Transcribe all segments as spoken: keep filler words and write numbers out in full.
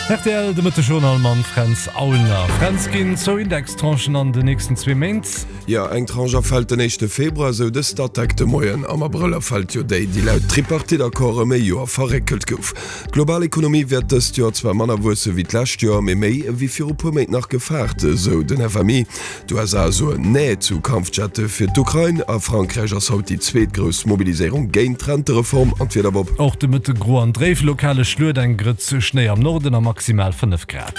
Rtl, de Mëttegjournal mam Fränz Aulner. Fränz, ginn zwou Indextranchen an den nächsten zwee Méint? Jo, eng Tranche erfält den éischte Februar, esou de Statec de Moien. Am Abrëll erfält jo déi, déi laut Tripartite-Accord ëm e Joer verréckelt gouf. D'global Ekonomie wäert dëst Joer zwar manner wuesse wéi d'lescht Joer, mee méi ewéi viru puer Méint nach gefaart, esou den F M I. D'U S A soen Nee zu Kampfjette fir d'Ukrain. A Frankräich ass haut déi zweet grouss Mobiliséierung géint d'Rentereform. An d'Wieder, Bob? Och de Mëtte gro an dréif, lokale Schluet, eng Grëtz Schnéi am Norden a maximal fënnef Grad.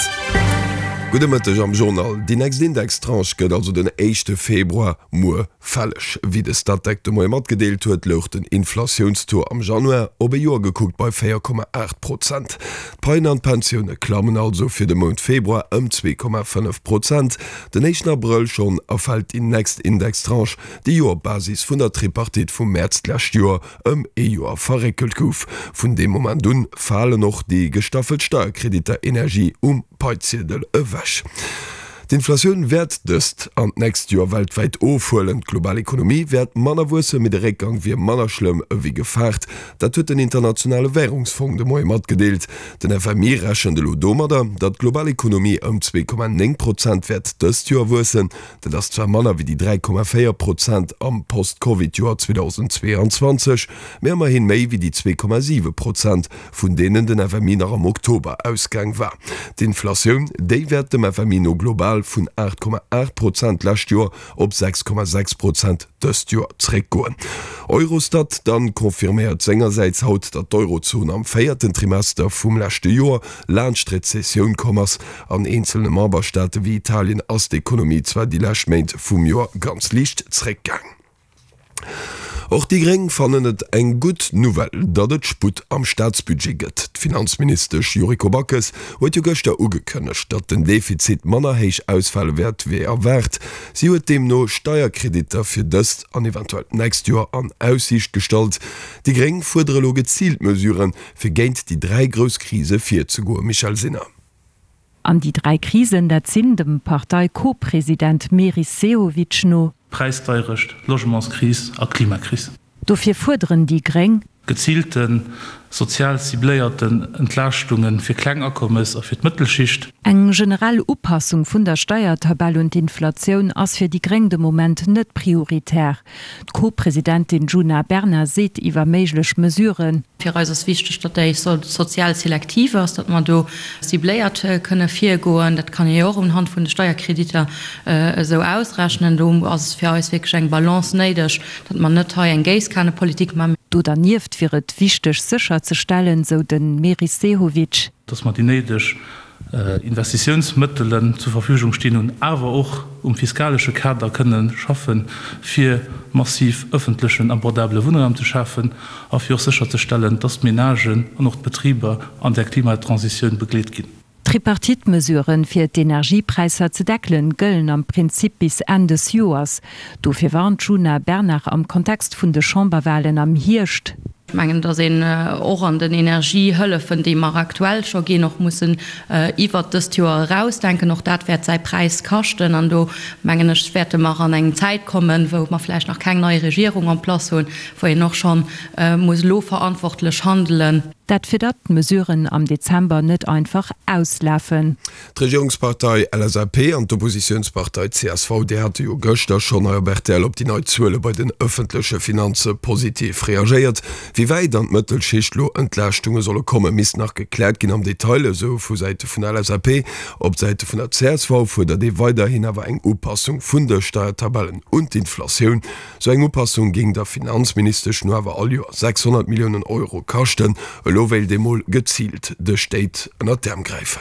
Gudde Mëtteg am Journal. Déi nächst Indextranche gëtt also den éischte Februar, muer, fälleg. Wéi de Statec de Moie matgedeelt huet, louch den Inflatiounstaux am Januar op e Joer gekuckt bei véier Komma aacht Prozent. D'Paien an d'Pensioune klammen also fir de Mount Februar ëm zwee Komma fënnef Prozent. Den éischten Abrëll schonn erfält déi nächst Indextranche, déi jo op Basis vun der Tripartite vum Mäerz d'lescht Joer ëm ee Joer verréckelt gouf. Vun deem Moment un falen och déi gestaffelt Steierkreditter Energie um Paiziedel ewech. D'Inflatioun wäert dëst an d'nächst Joer weltwäit ofhuelen. D'global Ekonomie wäert manner wuessen, mee de Réckgang wier manner schlëmm ewéi gefaart. Dat huet den Internationale Wärungsfong de Moie matgedeelt. Den F M I rechent elo domadder, datt d'global Ekonomie ëm zwee Komma néng Prozent wäert dëst Joer wuessen. Dat ass zwar manner wéi déi dräi Komma véier Prozent am Post-Covid-Joer zweedausendzweeanzwanzeg, mee ëmmerhin méi wéi déi zwee Komma siwe Prozent, vun deenen den F M I nach am Oktober ausgaang war. D'Inflatioun, déi wäert dem F M I no global vun aacht Komma aacht Prozent d'lescht Joer op sechs Komma sechs Prozent dëst Joer zréckgoen. Eurostat dann confirméiert sengersäits haut, datt d'Eurozon am véierten Trimester vum leschte Joer laanscht d'Rezessioun komm ass. An eenzelne Memberstaate wéi Italien ass d'Ekonomie zwar déi lescht Méint vum Joer ganz liicht zréckgaang. Och déi Gréng fannen et eng gutt Nouvelle, datt et Sputt am Staatsbudget gëtt. D'Finanzministesch Yuriko Backes huet jo gëschter ugekënnegt, datt den Defizit manner héich ausfale wäert wéi erwaart. Si huet deemno Steierkreditter fir dëst an eventuell d'nächst Joer an Aussiicht gestallt. Déi Gréng fuerdere lo geziilt Mesuren, fir géint déi dräi grouss Krise virzegoen. Michèle Sinner. An déi dräi Krisen, dat sinn dem Partei-Co-President Meris Sehovic no. Präisdeierecht, Logementskris a Klimakris. Dofir fuerderen déi Gréng. Geziilten, sozial cibléierten Entlaaschtunge fir kleng Akommes a fir d'Mëttelschicht. Eng generell Upassung vun der Steiertabell un d'Inflatioun ass fir déi Gréng de Moment net prioritär. D'Co-Presidentin Djuna Bernard seet iwwer méiglech Mesuren. Fir eis ass wichteg, datt déi sozial selektiv ass, datt mer do cibléiert kënne virgoen. Dat kann ee jo och unhand vun de Steierkreditter esou ausrechnen. Do ass fir eis wierklech eng Balance néideg, datt mer net hei eng Géisskanepolitik maachen. Do dernieft wier et wichteg sécherzestellen, sou de Meris Sehovic. Datt mer déi néideg Investitiounsmëttelen zur Verfügung stinn hunn, awer och um fiskalesche Kader kënne schaffen, fir massiv ëffentlechen abordabele Wunnraum ze schafen a fir och sécherzestellen, datt d'Menagen an och d'Betriber an där Klimatransitioun begleet ginn. D'Tripartite-Mesuren, fir d'Energiepräisser ze deckelen, gëllen am Prinzip bis Enn des Joers. Dofir warnt d'Djuna Bernard am Kontext vun de Chamberwalen am Hierscht. Ech mengen, datt een och an den Energiehëllefen, déi mer aktuell scho ginn, och mussen iwwert dëst Joer erausdenken. Och dat wäert säi Präis kaschten. An do, mengen ech, wäerte mer an eng Zäit kommen, wou mer vläicht nach keng nei Regierung en place hunn, wou een och scho muss elo verantwortlech handelen. Dat fir datt d'Mesuren am Dezember net einfach auslafen. D'Regierungspartei L S A P an d'Oppositiounspartei C S V, déi hate jo gëschter schonn hei op R T L op déi nei Zuele bei den ëffentleche Finanze positiv reagéiert. Wéi wäit an d'Mëttelschicht lo Entlaaschtunge solle kommen, misst nach gekläert ginn am Detail, esou vu Säite vun der L S A P. Op Säite vun der C S V fuerdert ee weiderhin awer eng Upassung vun de Steiertabellen un d'Inflatioun. Sou eng Upassung géing der Finanzministesch no awer all Joer sechshonnert Milliounen Euro kaschten. Elo wéilt ee mol geziilt de Stéit ënnert d'Äerm gräifen.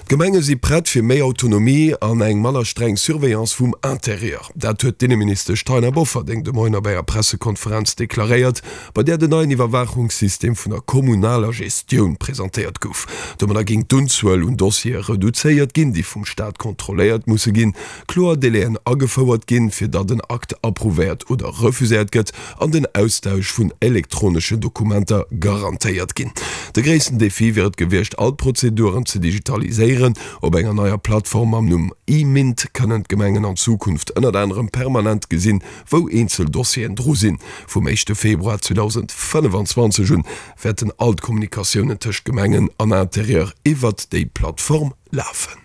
D'Gemenge si prett fir méi Autonomie an eng manner streng Surveillance vum Interieur. Dat huet d'Inneministesch Taina Bofferding de Moien op enger Pressekonferenz deklaréiert, bei där den neien Iwwerwaachungssystem vun der kommunaler Gestioun presentéiert gouf. Domadder géing d'Unzuel un Dossiere reduzéiert ginn, déi vum Staat kontrolléiert musse ginn, kloer Délaiën agefouert ginn, fir datt en Akt approuvéiert oder refuséiert gëtt, an den Austausch vun elektroneschen Dokumenter garantéiert ginn. De gréissten Defi wier et gewiescht, all d'Prozeduren ze digitaliséieren. geréieren. Op enger neier Plattform mam Numm eMINT kënnen d'Gemengen an Zukunft ënnert anerem permanent gesinn, wou eenzel Dossieren dru sinn. Vum éischte Februar zweedausendfënnefanzwanzeg un wäerten all d'Kommunikatiounen tëscht Gemengen an Interieur iwwert déi Plattform lafen.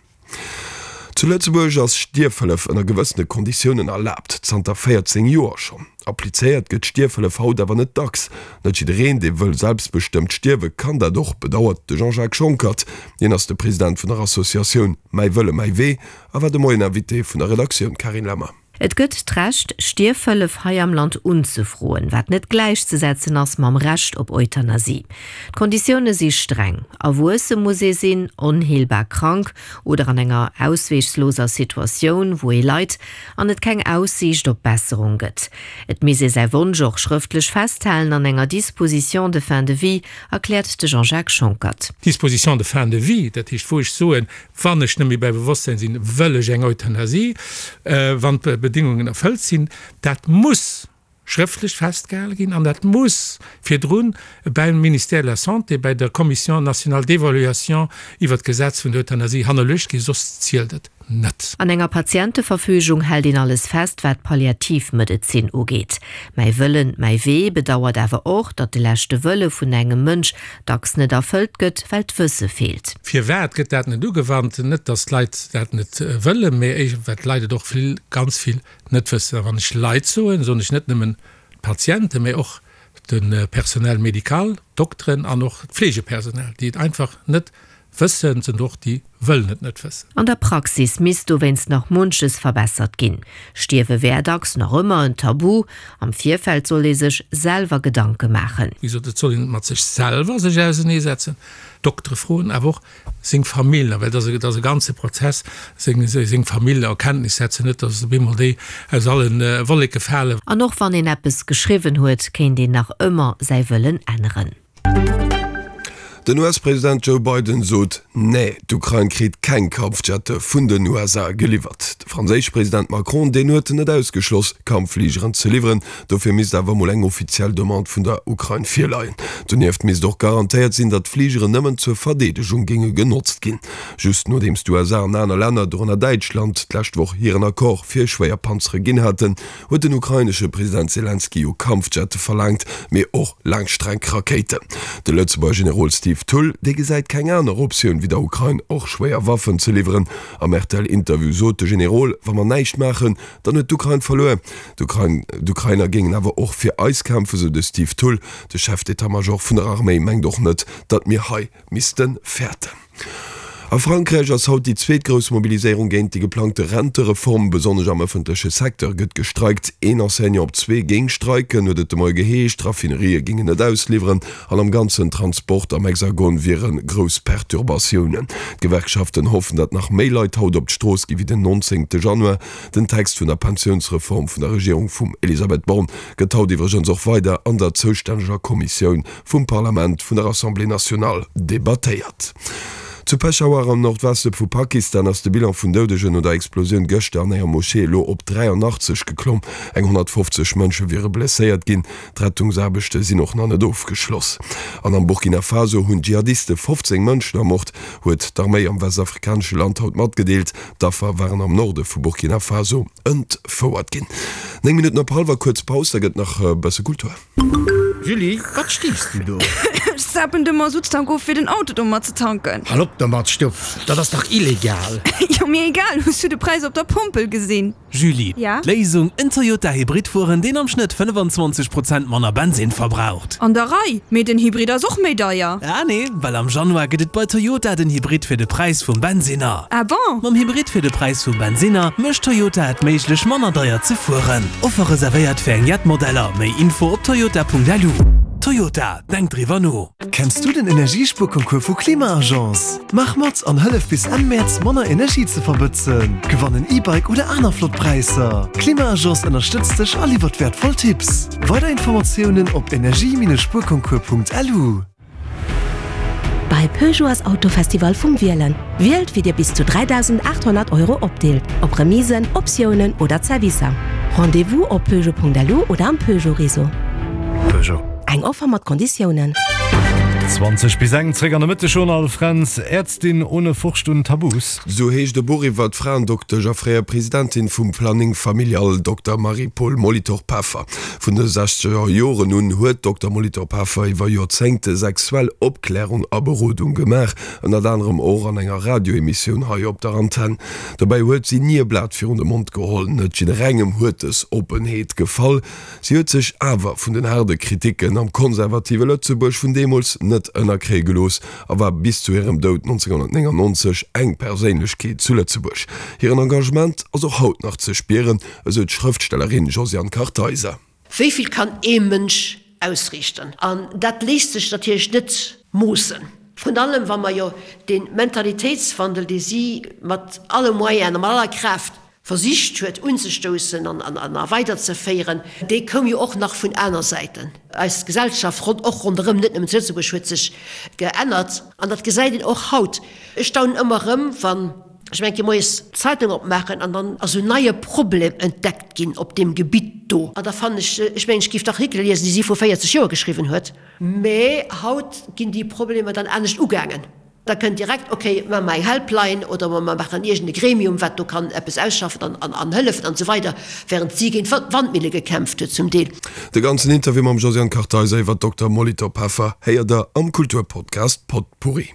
Zu Lëtzebuerg ass Stierfhëllef ënner gewëssene Konditiounen erlaabt, zanter véierzéng Joer schonn. Applizéiert gëtt d'Stierfhëllef haut awer net dacks. Net jiddereen, dee wëll selbstbestëmmt stierwen, kann dat och, bedauert de Jean-Jacques Schonckert. Hien ass de President vun der Associatioun Mäi Wëlle, mäi Wee a war de Moien Invité vun der Redaktioun. Carine Lemmer. Et gëtt d'Recht, Stierfhëllef hei am Land unzefroen, wat net gläichzesetzen ass mam Recht op Euthanasie. D'Konditioune si streng, Erwuesse muss ee sinn, onheelbar krank oder an enger ausweegsloser Situatioun, wou ee leit an et keng Aussiicht op Besserung gëtt. Et misst ee säi Wonsch och schrëftlech festhalen an enger Disposition de fin de vie, erkläert de Jean-Jacques Schonckert. Disposition de fin de vie, dat heescht wou ech soen, Wann ech net méi bei Bewosstsäin sinn, wëll ech eng Euthanasie, wann d'Bedingungen erfëllt sinn. Dat muss schrëftlech festgehale ginn an dat muss virdrun beim Ministère de la Santé, bei der Commission nationale d'évaluation iwwert d'Gesetz vun der Euthanasie hannerluecht ginn, soss zielt et net. An enger Patienteverfügung hält een alles fest, wat d'Palliativmedezin ugeet. Mäi Wëllen, mäi Wee bedauert awer och, datt de leschte Wëlle vun engem Mënsch dacks net erfëllt gëtt, well d'Wësse feelt. Firwat gëtt dat net ugewannt? Net, datt d'Leit dat net wëllen, mee éischter, well d'Leit et och vill, ganz vill net wëssen. A wann ech Leit soen, soen ech net nëmmen d'Patienten, mee och de Personnel médical, d'Dokteren an och d'Fleegepersonal, déi et einfach net wëssen, sind och déi wëllen et net wëssen. An der Praxis misst dowéinst nach munches verbessert ginn. Stierwe wär dacks nach ëmmer en Tabu. Am Virfeld sollt ee sech selwer Gedanke maachen. Wéi gesot, et soll een mat sech selwer sech auserneesetzen, Doktere froen, awer och seng Famill, well et ass e ganze Prozess, seng seng Famill a Kenntnis setzen, net datt op eemol déi aus alle Wolleke falen. An och wann een eppes geschriwwen huet, kéint een nach ëmmer säi Wëllen änneren. Den U S-President Joe Biden sot, Nee, d'Ukrain kritt keng Kampfjette vun den U S A geliwwert. De franséische President Macron, deen huet net ausgeschloss, Kampffligeren ze liwweren. Dofir misst awer mol eng offiziell Demande vun der Ukrain virleien. Donieft misst och garantéiert sinn, datt d'Fligeren nëmmen zur Verdeedegung géinge genotzt ginn. Just nodeems d'U S A an aner Länner, dorënner Däitschland, d'lescht Woch hiren Accord fir schwéier Panzere ginn haten, huet den ukrainesche President Selenskyj jo Kampfjette verlaangt, mee och Laangstreckrakéiten. De Lëtzebuerger Generol Steve Thull, dee gesäit keng aner Optioun, wéi der Ukrain och schwéier Waffen ze liwweren. Am R T L-Interview sot de Generol, Wa mer näischt maachen, dann huet d'Ukrain verluer. D'Ukrainer géingen awer och fir eis kämpfen, sou de Steve Thull. De Chef d'état-major vun der Arméi mengt och net, datt mir hei misste fäerten. A Frankräich ass haut déi zweet grouss Mobiliséierung géint déi geplangte Rentereform. Besonnesch am ëffentleche Secteur gëtt gestreikt. Een Enseignant op zwee géing streiken, huet et de Moie geheescht. D'Raffinerië géingen net ausliwweren an am ganzen Transport am Hexagon wiere grouss Perturbatiounen. D'Gewerkschaften hoffen, datt nach méi Leit haut op d'Strooss gi wéi den nonzéngte Januar. Den Text vun der Pensiounsreform vun der Regierung vum Elisabeth Borne gëtt haut iwwregens och weider an der zoustänneger Kommissioun vum Parlament vun der Assemblée nationale debattéiert. Zu Peschawar am Nordweste vu Pakistan ass de Bilan vun Doudegen no der Explosioun gëschter an enger Moschee elo op dräianachtzeg geklomm. Eng honnertfofzeg Mënsche wiere blesséiert ginn. D'Rettungsaarbechte sinn och nach net ofgeschloss. An am Burkina Faso hunn Dschihadiste fofzéng Mënschen ermort, huet d'Arméi am westafrikanesche Land haut matgedeelt. D'Affer waren am Norde vu Burkina Faso entfouert ginn. Néng Minutten op hallwer, kuerz Paus, da gëtt nach e bësse Kultur. Julie, wat stiichs du do? Ech zapen de Masutttank of fir den Auto domat ze tanken. Hal op domat, Stuff, dat ass dach illegal! Jo, mir egal, hues du de Präis op der Pompel gesinn? Julie, Ja? D'Léisung, en Toyota Hybrid fueren, deen am Schnëtt fënnefenzwanzeg Prozent manner Bensinn verbraucht. An der Rei, mee den Hybrid ass och méi deier. Ah nee, well am Januar gëtt et bei Toyota den Hybrid fir de Präis vum Bensinner. Ah bon? Mam Hybrid fir de Präis vum Bensinner mécht Toyota et méiglech manner deier ze fueren. Offer reservéiert fir eng jett Modeller, méi Info op toyota.lu. Toyota, denk driwwer no! Kenns du den Energiespuerconcours vu Klima-Agence? Maach mat an hëllef bis Enn Mäerz manner Energie ze verbëtzen. Gewann en E-Bike oder aner flott Präisser. Klima-Agence ënnerstëtzt dech a liwwert wäertvoll Tipps. Weider Informatiounen op energie-spuerconcours.lu. Bei Peugeot ass Autofestival vum Wielen. Wielt wéi dir bis zu dräidausendaathonnert Euro opdeelt, op Remisen, Optiounen oder Zerwisser. Rendez-vous op peugeot Punkt lu oder am Peugeot Réseau. Peugeot. Eng Offer mat Konditiounen. Zwanzeg bis eng, zréck an de Mëttegjournal, Fränz, Ärztin ohne Furcht und Tabus. Sou heescht e Buch iwwer d'Fraendoktesch a fréier Presidentin vum Planning Familial, Dokter Marie-Paule Molitor-Peffer. Vun de sechzeger Joren un huet d'Dokter Molitor-Peffer iwwer Joerzéngte sexuell Opklärung a Berodung gemaach, ënnert anerem och an enger Radioemissioun hei op der Antenn. Dobäi huet si ni e Blat virun de Mond geholl. Net jidderengem huet dës Oppenheet gefall. Si huet sech awer vun den haarde Kriticken am konservative Lëtzebuerg vun deemools net ënnerkréie gelooss a war bis zu hirem Doud nonzénghonnertnéngannonzeg eng Perséinlechkeet zu Lëtzebuerg. Hiren Engagement ass och haut nach ze spieren, esou d'Schrëftstellerin Josiane Kartheiser. Wéi vill kann ee Mënsch ausriichten? An dat léisst sech natierlech net moossen. Vrun allem wa mer jo dee Mentalitéitswandel, dee si mat alle Moyenen a mat aller Kraaft versicht huet unzestoussen an a weiderzeféieren, dee koum jo och nach vun aner Säiten. Eis Gesellschaft, och ronderëm, net nëmmen zu Lëtzebuerg, huet sech geännert an dat gesäit een och haut. Ech staunen ëmmer erëm, wann ech eng Kéier moies d'Zeitung opmaachen an dann ass en neie Problem entdeckt ginn op deem Gebitt do. An da fannen ech, ech mengen, ech géif d'Artikele liesen, déi si vru véierzeg Joer geschriwwen huet, mä haut ginn déi Problemer dann anescht ugaangen. Da kënnt direkt, ok, maache mer eng Helpline oder mer maachen iergend e Gremium, wat do kann eppes ausschaffen an hëllefen an esou weider, während si géint Wandmille gekämpft huet zum Deel. De ganzen Interview mam Josiane Kartheiser iwwer d'Dokter Molitor-Peffer héiert der am Kulturpodcast Potpourri.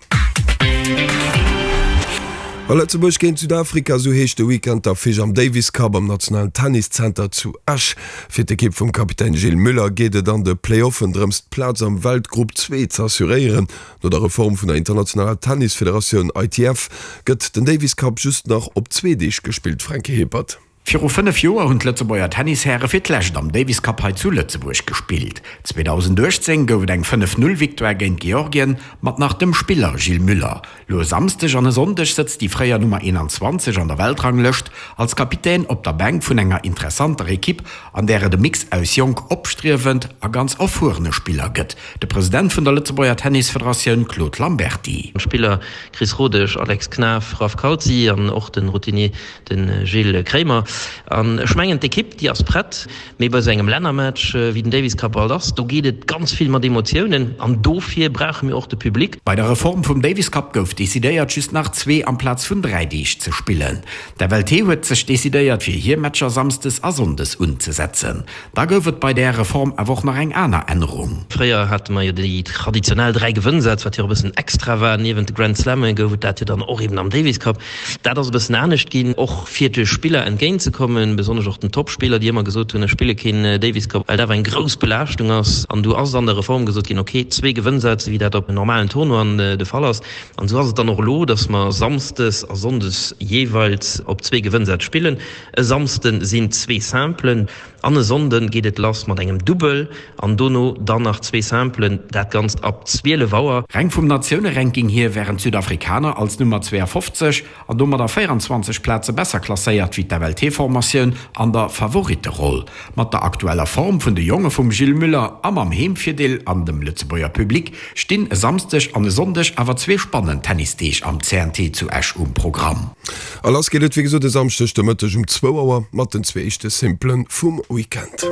A Lëtzebuerg géint Südafrika, esou heescht de Weekend d'Affiche am Davis Cup am nationalen Tenniszenter zu Esch. Fir d'Ekipp vum Kapitän Gilles Muller geet et an de Playoffen drëms d'Plaz am Weltgrupp zwee z'assuréieren. No der Reform vun der internationaler Tennisfederatioun I T F gëtt den Davis Cup just nach op zwee Deeg gespillt, Franky Hippert. Viru fënnef Joer hunn d'Lëtzebuerger Tennishäre fir d'lescht am Davis Cup hei zu Lëtzebuerg gespillt. zweedausendachtzéng gouf et eng fënnef-null-Victoire géint Georgien mat nach dem Spiller Gilles Muller. Lo e Samsdeg an e Sonndeg sëtzt déi fréier Nummer eenanzwanzeg an der Weltranglëscht als Kapitän op der Bänk vun enger interessanter Ekipp, an där et e Mix aus jonk opstriewend a ganz erfuerene Spiller gëtt. De President vun der Lëtzebuerger Tennisfederatioun Claude Lamberty. Spiller Chris Rodesch, Alex Knaff, Raf Calzi an och de Routinier de Gilles Kremer. An ech mengen d'Ekipp déi ass prett, mee bei esou engem Lännermatch wéi den Davis Cup alt ass, do geet et ganz vill mat Emotiounen an dofir brauche mir och de Public. Bei der Reform vum Davis Cup gouf decidéiert just nach zwee amplaz vun dräi Deeg ze spillen. D'F L T huet sech decidéiert fir hir Matcher samsdes a sonndes unzesetzen. Da gouf et bei där Reform awer och nach eng aner Ännerung. Fréier hate mer jo déi traditionell dräi Gewënnsätz, wat jo och e bëssen extra war. Niewent de Grand Slamme gouf et dat jo dann och eben am Davis Cup. Dat ass e bëssen anescht ginn, och fir de Spiller entgéint ze kommen, besonnesch och den Topspiller, déi ëmmer gesot hunn, ech spille keen Davis Cup, well dat awer eng grouss Belaaschtung ass. An du ass an der Reform gesot ginn, ok, zwee Gewënnsätz, wéi dat op normalen Tournoien de Fall ass. An esou ass et dann och elo, datt mer samsdes a sonndes jeeweils op zwee Gewënnsätz spillen. E Samsde sinn zwee Simplen an e Sonnde geet et lass mat engem Dubbel an dono dann nach zwee Simplen, dat Ganzt ab zwielef Auer. Reng vum Natioune-Ranking hier wären d'Südafrikaner als Nummer zweeafofzeg an domadder véieranzwanzeg Plaze besser klasséiert wéi d'F L T-Formatioun an der Favoritteroll. Mat der aktueller Form vun de Jonge vum Gilles Muller a mam Heemvirdeel an dem Lëtzebuerger Public stinn e Samsdeg an e Sonndeg awer zwee spannend Tennisdeeg am C N T zu Esch um Programm. A lass geet et wéi gesot e Samschdeg de Mëtteg um zwou Auer mat den zwee éischte Simplen vum Weekend.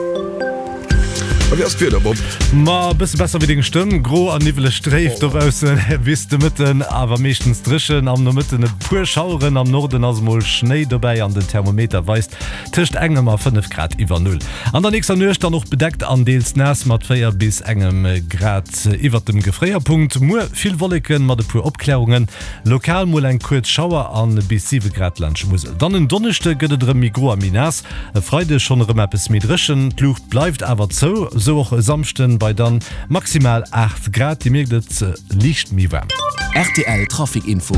A wéi ass d'Wieder, Bob? Ma e bësse besser wéi deng Stëmm. Gro an niwweleg dréif dobaussen bis de Mëtten, awer meeschtens dréchen. Am Nomëtten e puer Schaueren, am Norden ass mol Schnéi dobäi an den Thermometer weist tëscht engem a fënnef Grad iwwer Null. An der nächster Nuecht dann och bedeckt an deels naass mat véier bis engem Grad iwwert dem Gefréierpunkt. Muer vill Wolleken mat e puer Opklärungen, lokal mol eng kuerz Schauer an bis siwe Grad laanscht Musel. Dann en Donneschde gëtt et erëm méi gro a méi naass, e Freideg schonn erëm eppes méi dréchen, d'Luucht bleift awer zou. Sou och e Samschden bei dann maximal aacht Grad. Dir mierkt et, liicht méi waarm. R T L Trafic Info.